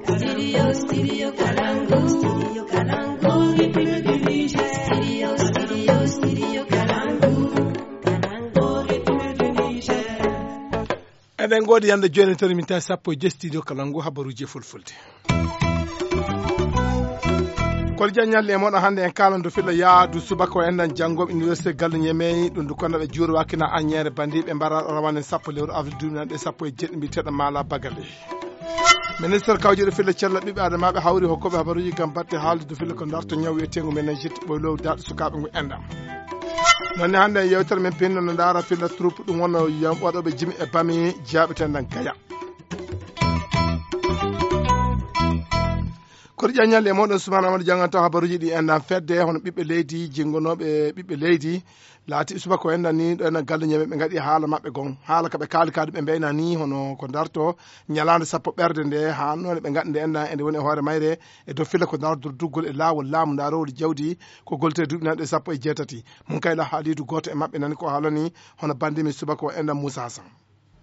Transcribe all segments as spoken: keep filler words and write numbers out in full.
Studio, studio Kalangu, studio Kalangu, Republic du Niger. Studio, studio, studio Kalangu, Kalangu, Republic du Niger. Eɗen ngoodi yande jooni, tawi min tawi sappo e jeetati studio Kalangu, habaruuji e fulfulde. Kol jaññalli e moɗon hannde en kaalando filla yaadu subaka o enɗan janngooɓe université Gallo Ñemey, ɗum ndu konnaɓe juurwaakina aññeere bandiiɓe mbara rawane sappo lewru avril duuɓi nanɗe sappo e jeeɗiɗi mbiyeteeɗo Maala Bagale. Ministre kawjiɗo filla cella ɓiɓɓe adamaaɓe hawri hokkooɓe habaruuji ngam batte haaldude filla ko darto ñaw wiyeteengu meningite ɓoylow daaɗo sukaaɓe ngu enɗam. Noon ne hannde e yewtere men pinno no ndaara filla troupe ɗum wonno yam-, waɗooɓe jimi e bami jaaɓeteendan Gaya. Koto ƴaññal e moɗon Suman Amadou jannganto habaruuji ɗi enɗan fedde hono ɓiɓɓe leydi, jinngonooɓe ɓiɓɓe leydi, laati subaka o enɗan ni ɗo enɗan Gallo Ñemey ɓe ngaɗi haala maɓɓe gon. Haala ka ɓe kaali kaadu ɓe mbeyna ni hono ko darto ñalaande sappo ɓerde nde, haa noone ɓe ngaɗi nde enɗan eɗe woni e hoore mayre e dow filla ko darto durduggol e laawol laamu ndarowol jawdi ko gollitiree duuɓi nanɗe sappo e jeetati. Mun kay la haaliidu gooto e maɓɓe nani ko haalani hono banndi men subaka o enɗan Muusa Hasan.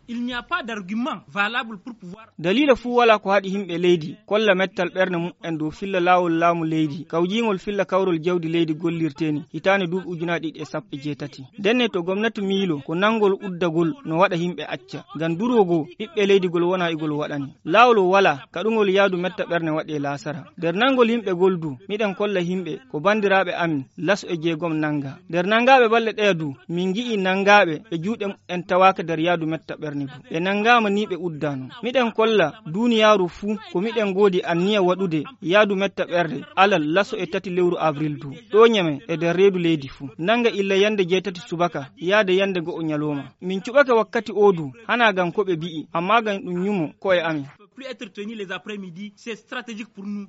Il n'y a pas d'argument valable pour pouvoir. Daliila fuu walaa ko haɗi yimɓe leydi kolla mettal ɓernde mumen dow filla laawol laamu leydi, kawjiingol filla kawrol jawdi leydi gollirtee ni hitaande duuɓi ujunaaji ɗiɗi e sappo e jeetati. Ndenne to gomnati miilo ko nanngol uddagol no waɗa yimɓe acca. Ngam durwo goo ɓiɓɓe leydi gol wonaa igol waɗani. Laawol walaa kaɗungol yaadu metta ɓernde waɗee laasara. Nder nanngol yimɓe gol du, miɗen kolla yimɓe ko banndiraaɓe amin laso e jeegom nannga. Nder nanngaaɓe balle ɗeya du, min ngi'ii nanngaaɓe ɓe juuɗe mumen tawaaka nder yaadu metta ɓernde du. Ɓe nanngaama ni ɓe uddaano. Miɗen kolla duuniyaaru fuu ko miɗen ngoodi anniya waɗude yaadu metta ɓernde alal laso e tati lewru avril du. Ɗo Ñemey e nder reedu leydi fuu. Nannga illa yande jeetati subaka yaade yande go'o ñalooma. Min cuɓake wakkati oo du, hanaa ngam ko ɓe bi'i, ammaa ngam ɗum ñumo ko'e amin. Plus être tenu les après-midi, c'est stratégique pour nous.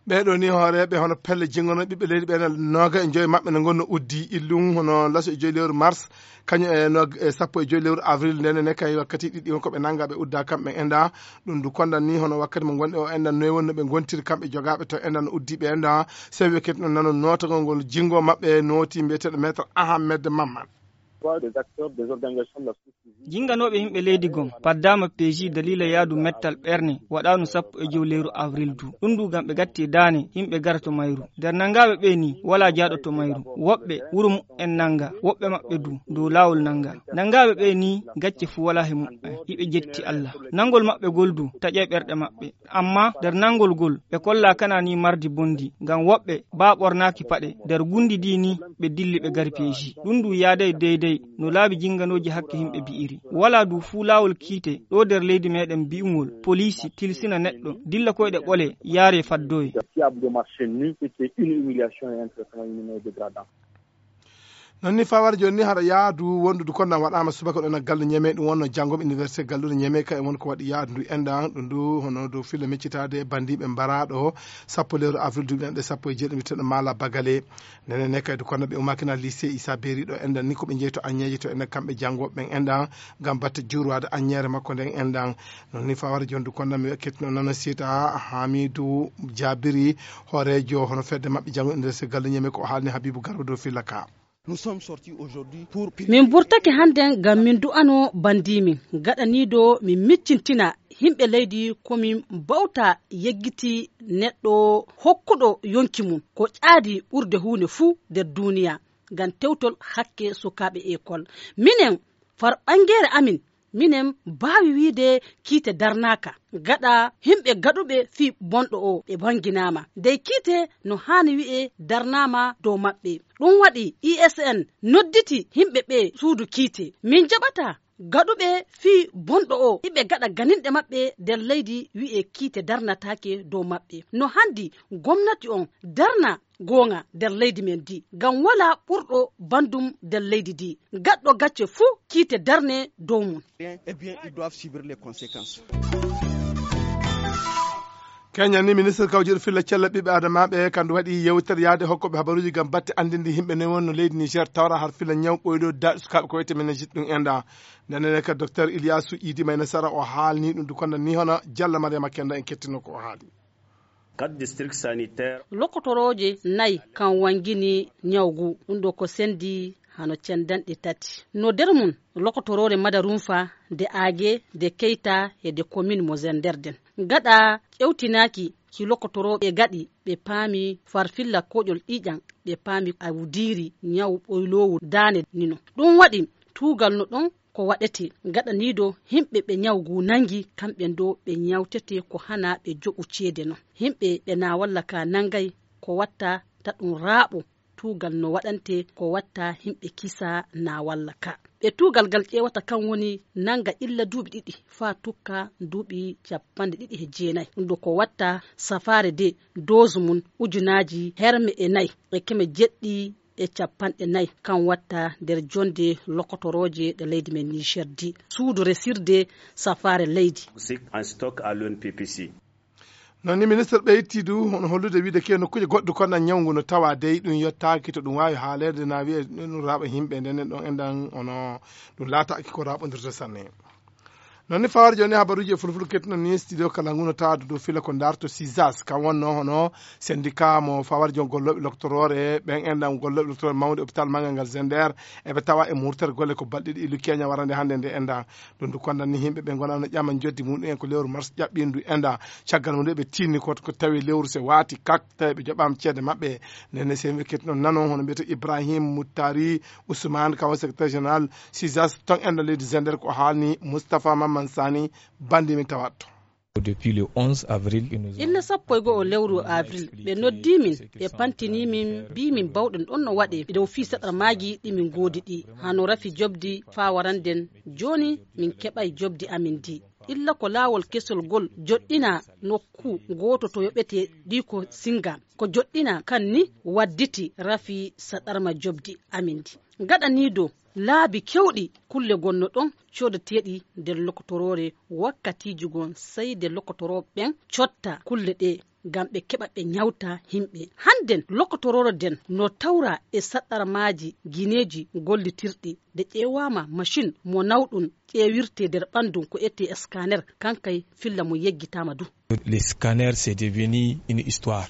Ɓee ɗoo ni hooreeɓe hono pelle jinngono ɓiɓɓe leydi ɓee, nooga e joyi maɓɓe ne ngonno uddi illum hono laso e joyi lewru mars, kañum e nog-, e sappo e joyi lewru avril. Ndene ne kay wakkati ɗiɗi on ko ɓe nannga ɓe udda kamɓe enɗan. Ɗum ndu kondan ni hono wakkati mo ngonɗen o enɗan noy wonno ɓe ngontiri kamɓe jogaaɓe to enɗan no uddi ɓe enɗan. Sewi wakkati no nano nootagol ngol jinngo maɓɓe nooti mbiyeteeɗo maître Ahmed Mamman. Des acteurs, des organisations de la société civile. Jinnganooɓe yimɓe leydi gom paddaama peeji daliila yaadu mettal ɓernde waɗaanu sappo e jowi lewru avril du. Ɗum du ngam ɓe gatti daane yimɓe gara to mayru. Nder nanngaaɓe ɓee ni walaa jaaɗo to mayru. Woɓɓe wuro mumen nannga, woɓɓe maɓɓe du dow laawol nannga. Nanngaaɓe ɓee ni gacce fuu walaa he mumen. Hiɓe jetti Allah. Nanngol maɓɓe gol du taƴay ɓerɗe maɓɓe. Ammaa nder nanngol gol ɓe kollaa kana ni mardi bonndi. Ngam woɓɓe baa ɓornaaki paɗe nder gunndi ndi ni ɓe dilli ɓe ngari peeji. Ɗum du yaaday deydey no laabi jinnganooji hakke yimɓe bi'iri. Walaa du fuu laawol kiite ɗo nder leydi meɗen bi'ungol poliisi tilsina neɗɗo dilla koyɗe ɓole yaare faddoye. Fiable de marché nu, c'était une humiliation et un traitement inhumain et dégradant. Non ni fawar jooni ni haɗa yaadu wondude konnan waɗaama subaka ɗon e galle Ñeme, ɗum wonno janngoɓe université galluɗo Ñeme ka e won ko waɗi yaadu ndu enɗan ɗum ndu hono dow filla miccitaade banndiiɓe mbaraaɗo sappo lewru avril duuɓi ɗanɗe sappo e jeeɗiɗi mbiyeteeɗo Maala Bagale. Nene ne kadi konnaɓe umakina lycée Issa Beri ɗo enɗan ni ko ɓe jeyi to Aññeeje to enɗan kamɓe janngoɓe ɓen enɗan ngam batte juurwaade aññeere makko nden enɗan. Non ni fawar jooni du konnan mi wakkitno nano siita Hamidu Jabiri hooreejo hono fedde maɓɓe janngo université galluɗo Ñeme ko o haalni Habibu Garba dow filla ka. Nous sommes sortis aujourd'hui pour min burtake hannden ngam min du'ano banndiimin gaɗaniido min miccintina yimɓe leydi ko min mbawta yeggiti neɗɗo hokkuɗo yonki mum ko ƴaadi ɓurde huunde fuu nder duuniya ngam tewtol hakke sukaaɓe ekol. Minen farɓanngeere amin minen mbaawi wiyde kiite darnaaka gaɗa yimɓe gaɗuɓe fii bonɗo o ɓe bannginaama ndey kiite no haani wi'e darnaama dow maɓɓe. Ɗum waɗi I S N nodditi yimɓe ɓee suudu kiite. Min jaɓata gaɗuɓe fii bonɗo o iɓe gaɗa ganinɗe maɓɓe nder leydi wi'e kiite darnataake dow maɓɓe. No hanndi gomnati on darna goonga nder leydi men ndi ngam walaa ɓurɗo banndum nder leydi ndi. Gaɗɗo gacce fuu kiite darne dow mum. Eh bien, ils doivent subir les conséquences. Kenya ni ministre kawjiɗo filla cella ɓiɓɓe adamaaɓe kandu waɗi yewtere yaade hokkoɓe habaruuji ngam batte anndinde yimɓe ne wonno leydi Niger tawra har filla ñaw ɓoyɗo daɗi sukaaɓe ko wiyete meningite ɗum enɗan. Ndenen ka docteur Ilyasu Idi Mayna Sara o haalni ɗum du konda ni hono Jalla Mariama Kenda en kettino ko o haali. Quatre districts sanitaires. Lokotorooje nay kan wangini ñawgu ɗum ɗo ko sendi hano cendanɗe tati. No der mum lokotoroore Madarunfa, de Aage, de Keyta e de komin mo Zender den. Gaɗa ƴewtinaaki ki lokotorooɓe gaɗi, ɓe paami farfilla koƴol ƴiiƴam, ɓe paami awdiiri ñaw ɓoyloowu daane nino. Ɗum waɗi tuugal no ɗon ko waɗetee gaɗaniido himɓe ɓe ñaw ngu nangi, kamɓe ndo ɓe ñawtetee ko hana ɓe joɓu ceede non. Himɓe ɓe na walla ka nangay ko watta ta ɗum raaɓo tuugal no waɗante ko watta himɓe kisa na walla ka. Ɓe tuugal gal ƴeewata kan woni nanga illa duuɓi ɗiɗi faa tukka duuɓi capanɗe ɗiɗi e jeenay. Ɗum ɗo ko watta safaare de doozu mum ujunaaji herme e nay e keme jeɗɗi e capanɗe nay. Kan watta nder jonde lokotorooje ɗe leydi men Niger di. Suudu resirde safaare leydi. Sik en stock à l'O N P P C. Noon ni ministre ɓeyti du hono hollude wiide ke nokkuuje goɗɗe kono ñawngu no tawa dey ɗum yottaaki to ɗum waawi haaleede na wiye ɗum raaɓa yimɓe nden ɗon enɗan hono ɗum laataaki ko raaɓondirde sanne. Noon ni fawar jooni habaruuji e fulfulde kettuno ni studio kala ngu no tawa dow fila ko darto sisas kan wonno hono syndicat mo fawar joon gollooɓe loktoroore ɓen enɗan gollooɓe loktoroore mawde hôpital manngal ngal Zender eɓe tawa e murtere golle ko balɗe ɗiɗi lukeña warande hannde nde enɗan. Ɗum du kondan ni yimɓe ɓe ngona no ƴama joddi muɗum en ko lewru mars ƴaɓɓindu enɗan. Caggal mum nde ɓe tinni ko ko tawi lewru se wati kak tawi ɓe joɓama ceede maɓɓe. Nene se mi ketino nano hono mbiyete Ibrahim Muttari Ousmane kawo secrétaire général sisas ton enɗan leydi Zender ko haalni Moustapha Mamman Sani bandi min tawatto. Depuis le onze avril, illa sappo e go'o lewru avril ɓe noddi min ɓe pantini min mbi min bawɗen ɗon no waɗe dow fii saɗarmaaji ɗi min ngoodi ɗi hano rafi jobdi faa waranden. Jooni min keɓay jobdi amin ndi. Illa ko laawol kesol gol joɗɗina nokku gooto to yoɓete ɗi ko singa ko joɗɗina kan ni wadditi rafi saɗarma jobdi amin ndi. Gaɗaniido laabi kewɗi kulle gonno ɗon coodateeɗi nder lokotoroore. Wakkatiiji gon sey nde lokotorooɓe ɓen cotta kulle ɗe ngam ɓe keɓa ɓe ñawta himɓe. Hannden lokotoroore den no tawra e saɗɗarmaaji gineeji gollitirɗi nde ƴeewaama macin mo nawɗum ƴeewirte nder ɓanndum ko etee scanner kankay filla mo yeggitaama du. Le scanner c'est devenu une histoire.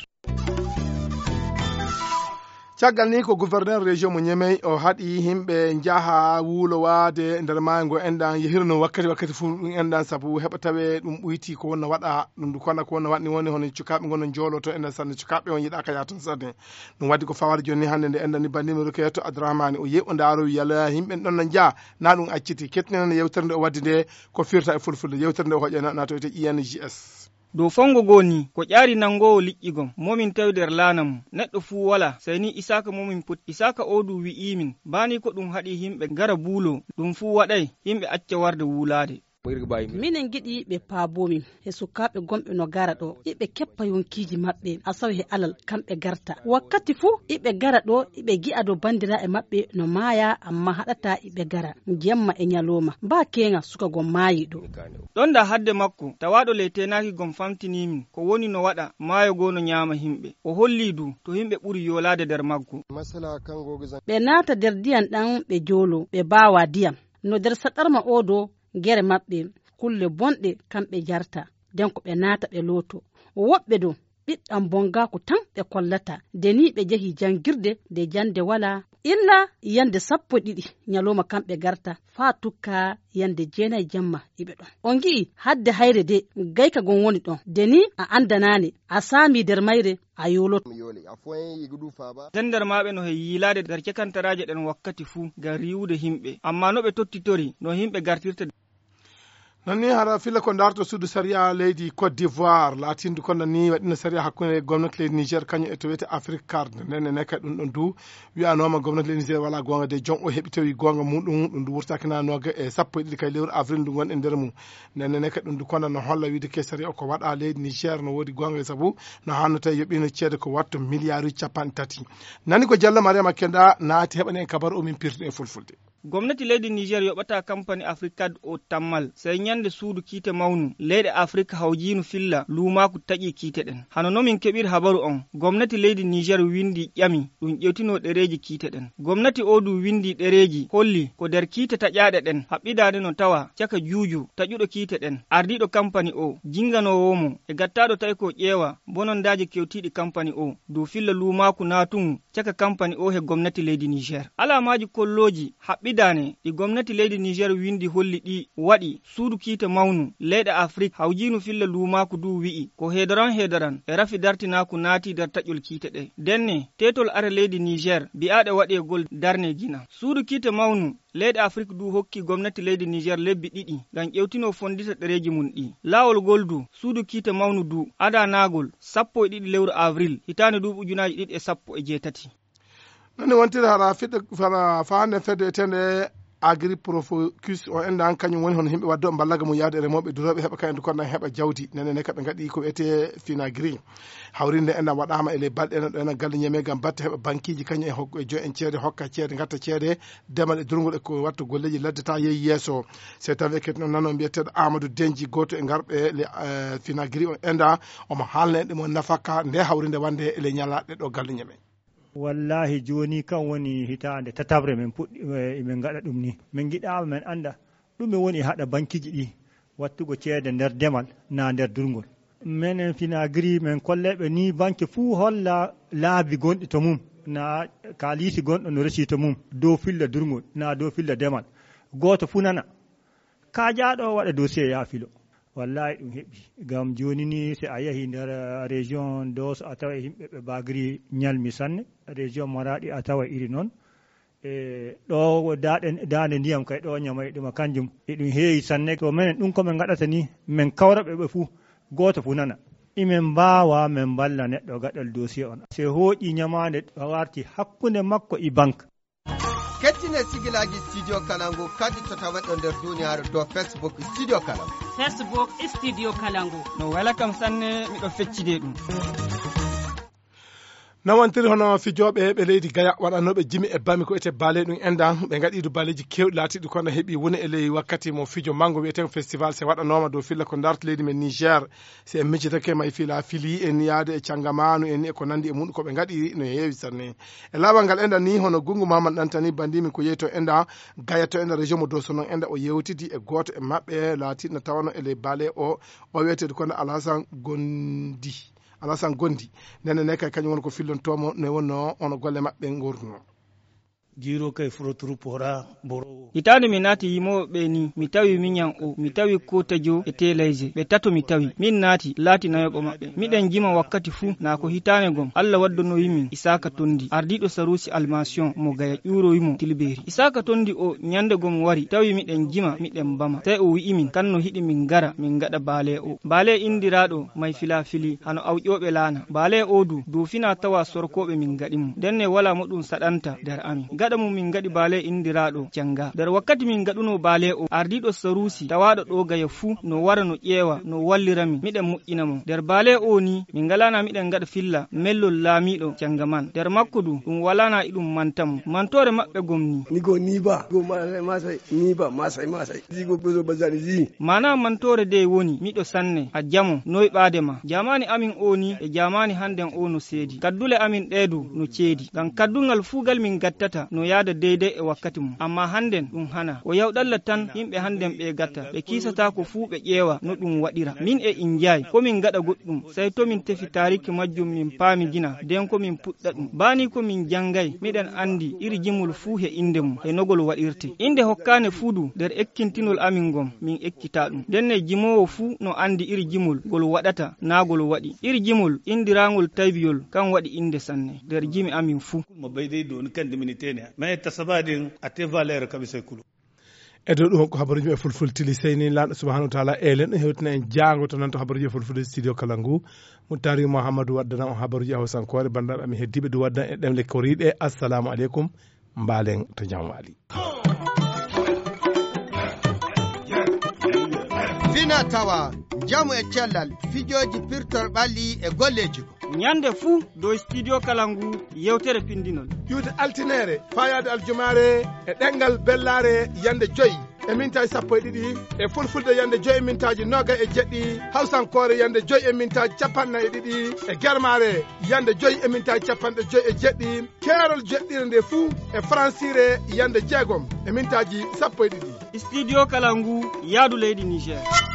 Caggal ni ko gouverneur région mo ñemey o haɗi yimɓe njaha wuulowaade nder maayo ngo enɗan yehirno wakkati wakkati fof ɗum enɗan sabu heɓa tawe ɗum ɓoyti ko wonno waɗa ɗum du kona ko wonno waɗni woni hono cukaaɓe ngonno jooloto enɗan sanne cukaaɓe on yiɗaka yaha toon sanne. Ɗum waddi ko fawata jooni hannde nde enɗan ni bandimi rokeyato abdourahmani o yehi o ndaaro yala yimɓe ɗon no njaha na ɗum acciti kettinene yewtere nde o waddi nde ko firta e fulfulde yewtere nde o hoƴa natoyte I N G S. Dow fonngo goo nii, ko ƴaari nanngoowo liƴƴi gom, mo min tawi nder laana mum, neɗɗo fuu walaa, sey nii Isaaka mo min poti. Isaaka oo du wi'iimin, baa nii ko ɗum haɗi yimɓe ngara buuloo, ɗum fuu waɗay yimɓe acca warde wuulaade. Minen ngiɗi ɓe paaboomin he sukaaɓe gonɓe no gara ɗoo, iɓe keppa yonkiiji maɓɓe asawe he alal, kamɓe garta. Wakkati fuu iɓe gara ɗoo, iɓe gi'a dow banndiraaɓe maɓɓe no maaya, ammaa haɗataa iɓe gara jemma e nyalooma. Baa keeŋa suka gom maayii ɗoo. Ɗon da hadde makko, tawaaɗo ley teenaaki gom famtinii min ko woni no waɗa maayo goo no nyaama himɓe. O hollii du to himɓe ɓuri yoolaade nder maggo. Ɓe naata nder ndiyam ɗam ɓe jooloo, ɓe baawaa ndiyam. No nder saɗarma oo do gere maɓɓe, kulle bonɗe kamɓe jarta. Den ko ɓe naata ɓe looto. Woɓɓe do ɓiɗɗam bongaaku tan ɓe kollata. Nde nii ɓe jehi janngirde, nde jannde walaa, illa yannde sappo e ɗiɗi nyalooma kamɓe garta, faa tukka yannde jeenay jemma iɓe ɗon. On ngi'i, hadde hayre de, gayka gon woni ɗon. Nde nii a anndanaane, a saamii nder mayre, a yooloto. Jandarmaaɓe no he yiilaade nder cakantaraaje ɗen wakkati fuu ngam riiwude himɓe. Ammaa no ɓe tottitori, no himɓe gartirta. Non ni hara filla ko darto suudu sariya leydi Côte d'Ivoire laatindu kono ni waɗino sariya hakkunde gomnati leydi Niger kañum e to wiyete Afrique Card. Nden ne kadi ɗum ɗon du wi'anooma gomnati leydi Niger wala goonga de, jon o heɓi tawi goonga muɗum ɗum du wurtaki na noga e sappo e ɗiɗi kay lewru avril ndu gonɗen nder mum. Nden ne kadi ɗum du kono no holla wiide ke sariya o ko waɗa leydi Niger no woodi goonga e sabu no hanno tawi yoɓino ceede ko watto miliyaaruji capanɗe tati. Nani ko Jallo Mariama Kenda naati heɓani en kabaru o min pirtuɗe e fulfulde. Gomnati leydi Niger yoɓata kampani Afrique Card o tammal, sey Ñande suudu kiite mawnu leyɗe Afrik hawjiinu filla luumaaku taƴii kiite ɗen. Hano no min keɓiri habaru on, gomnati leydi Niger winndi ƴami ɗum ƴewtinoo ɗereeji kiite ɗen. Gomnati oo du winndi ɗereeji holli ko nder kiite taƴaaɗe ɗen haɓɓidaade no tawa caka juuju taƴuɗo kiite ɗen, ardiiɗo kampani oo, jinnganoowo mo e gattaaɗo tawi ko ƴeewa bonondaaji kewtiiɗi kampani oo, dow filla luumaaku naatungu caka kampani oo he gomnati leydi Niger. Alaamaaji kollooji haɓɓidaane ɗi gomnati leydi Niger winndi holli ɗi waɗi suudu kiite mawnu leyɗe Afrik hawjiinu filla luumaaku du wi'i ko heedoran heedoran e rafi dartinaaku naati nder taƴol kiite ɗe. Ndenne, teetol are leydi Niger bi'aaɗe waɗeegol darne jina. Suudu kiite mawnu leyɗe Afrik du hokki gomnati leydi Niger lebbi ɗiɗi ngam ƴewtinoo fonndita ɗereeji mum ɗi. Laawol ngol du, suudu kiite mawnu du, adanaagol sappo e ɗiɗi lewru avril, hitaande duuɓi ujunaaji ɗiɗi e sappo e jeetati. Noon ne wontiri hara fedde, fara faande fedde etende Agriprofocus o enda an kañum woni hono yimɓe wadde mballaga mum yaade e remooɓe durooɓe heɓa kañum konda heɓa jawdi. Nene ne kaɓe ngaɗi ko wiyetee Finagri. Hawrinde ena waɗaama e ley balɗe ena ɗo ena galle ñeme ngam batte heɓa bankiiji kañum e hokka e joy en ceede hokka ceede ngatta ceede demal e durngol e ko watta golleeji ladde ta yehi yeeso. Se tawi ekket noon nano mbiyeteeɗo Amadou Denji gooto e ngarɓe le, eh, Finagri o enda omo haalna en ɗum o nafaka nde hawrinde wande e ley ñalaaɗe ɗo galle ñeme. Wallahi jooni kam woni hitaande tataɓre men puɗɗi, eh, emin ngaɗa ɗum ni. Min ngiɗaama men annda ɗume woni haɗa bankiiji ɗi wattugo ceede nder demal na nder durngol. Menen Finagri men kolleeɓe ni banke fuu holla laabi gonɗi to mum, na kaalisi gonɗo no resi to mum, dow filla durngol, na dow filla demal. Gooto fuu nana. Kaajaaɗo waɗa dossier yaa filo. Wallahi ɗum heɓi. Ngam jooni ni, si a yahi nder, eh, région Dosso, a taway yimɓe ɓe bagri ñalmi sanne. Région Maradi, a taway iri noon. E ɗo daande, daande ndiyam kay, ɗo ñamay ɗum, kanjum eɗum heewi sanne. To menen ɗum ko min ngaɗata ni, min kawra ɓe ɓe fuu, gooto fuu nana. Imin mbaawa min mballa neɗɗo gaɗal dossier on. Se hooƴi ñamaande, a warti hakkunde makko e banque. Kettine sigilaaji Studio Kalangu kadi to taweɗo nder duniyaaru dow Facebook Studio Kalangu. Facebook Studio Kalangu. No wela kam sanne, miɗo feccide ɗum. Nawantiri hono fijooɓe ɓe leydi Gaya waɗanooɓe jimi e bami ko ete baale ɗum enda, ɓe ngaɗi du baaleeji keewɗi laatiiɗi kono heɓi woni e ley wakkati mo fijo mango wiyetee ko festival se waɗanooma dow filla ko darti leydi men Niger. Si en miccitake may fila fili en yaade e cangamaanu en e ko nandi e muɗum ko ɓe ngaɗi no heewi sanne. E laawol ngal enda ni hono Gungu Mamadou Ɗantani bandimi ko yehi to enda Gaya to enda région mo Dosso noon enda o yewtidi e gooto e maɓɓe laatiiɗo no tawano e ley baale o, o wiyeteeɗo kono Alasan Gondi. Alasan Gondi. Nene ne kay kañum woni ko fillontoomo ne wonno ono golle maɓɓe ngorduno. Jiro kay furo troupe hora boro. Hitaande mi naati yimooɓe ɓe ni, mi tawi miñan o, mi tawi Kotejo e Telayje. Ɓe tato mi tawi. Min naati, laati nayoɓo maɓɓe. Miɗen jima wakkati fuu, naa ko hitaande gom. Alla waddonowi min Isaaka Tondi, ardiiɗo Saruusi Almasiyon mo Gaya ƴuurowi mo Tilbeeri. Isaaka Tondi o ñande gom wari, tawi miɗen jima, miɗen bama. Sey o wi'i min, kan no hiɗi min ngara, min ngaɗa baale o. Baale indiraaɗo may filafili, hano awƴooɓe laana. Baale o du, dow fina tawa sorkooɓe min ngaɗi mo. Ndenne walaa mo ɗum saɗanta nder amin. Gaɗa mum min ngaɗi baale indiraaɗo Canga. Nder wakkati min ngaɗunoo baale o, ardiiɗo Saruusi, tawaaɗo ɗo Gaya fuu, no wara no ƴeewa, no wallira min. Miɗen moƴƴina mo. Nder baale o ni, min ngalaana miɗen ngaɗa filla mellol laamiiɗo Canga man. Nder makko du, ɗum walaana iɗum manta mo. Mantoore maɓɓe gom ni. Ni go ni ba, go ma-, masay, ni ba, masay, masay. Ji go bezo bazani ji. Maana mantoore de woni, miɗo sanne, a jamo, noy ɓaade ma. Jaamaani amin o ni, e jaamaani hannden o no seedi. Kaddule amin ɗee du no ceedi. Ngam kaddungal fuu gal min gattata, no yaada deydey e wakkati mum. Ammaa hannden ɗum hana. Ko yawɗalla tan yimɓe hannden ɓee gatta. Ɓe kiisataako fuu ɓe ƴeewa no ɗum waɗira. Min e injaay, ko min ngaɗa goɗɗum, sey to min tefi taariki majjum min paami jina, nden ko min puɗɗa ɗum. Baa ni ko min janngay, miɗen anndi iri jimol fuu he innde mum, he no gol waɗirte. Innde hokkaane fuu du, nder ekkintinol amin ngon, min ekkitaa ɗum. Ndenne jimoowo fuu no anndi iri jimol gol waɗata, naa gol waɗi. Iri jimol inndiraangol taybiyol, kan waɗi innde sanne, nder jimi amin fuu. Mo ɓeydey dooni kandi mini tene. Mais tasaba ɗin, a te valeur kaɓi say kulo. E dow ɗum, ko habaruuji e fulfulde tili. Seyni Laamɗo subhanahu wa taala, elen ɗo hewtina en jaango to nan to habaruuji e fulfulde studio kala ngu. Muttari Muhammadu waddana on habaruuji e hawsankoore, banndiraaɓe amin heddiiɓe du waddan e ɗemle koriiɗe. Assalamu aleykum, mbaalen to jam waali. Fina tawa, njamu e cellal, fijooji pirtor ɓalli e golleeji. Ñande fuu dow studio kala ngu yewtere pindinol. Iwde altineere, faayaade aljumaare e ɗemngal bellaare yande joy. e mintaaji sappo e ɗiɗi, e fulfulde yande joyi e mintaaji noga e jeɗɗi, hawsankoore yande joyi e mintaaji capanɗe nayi e ɗiɗi, e germaare yande joyi e mintaaji capanɗe joyi e jeɗɗi, keerol jeɗɗire nde fuu e faransiire yande jeegom e mintaaji sappo e ɗiɗi. Studio Kalangu, yaadu leydi Niger.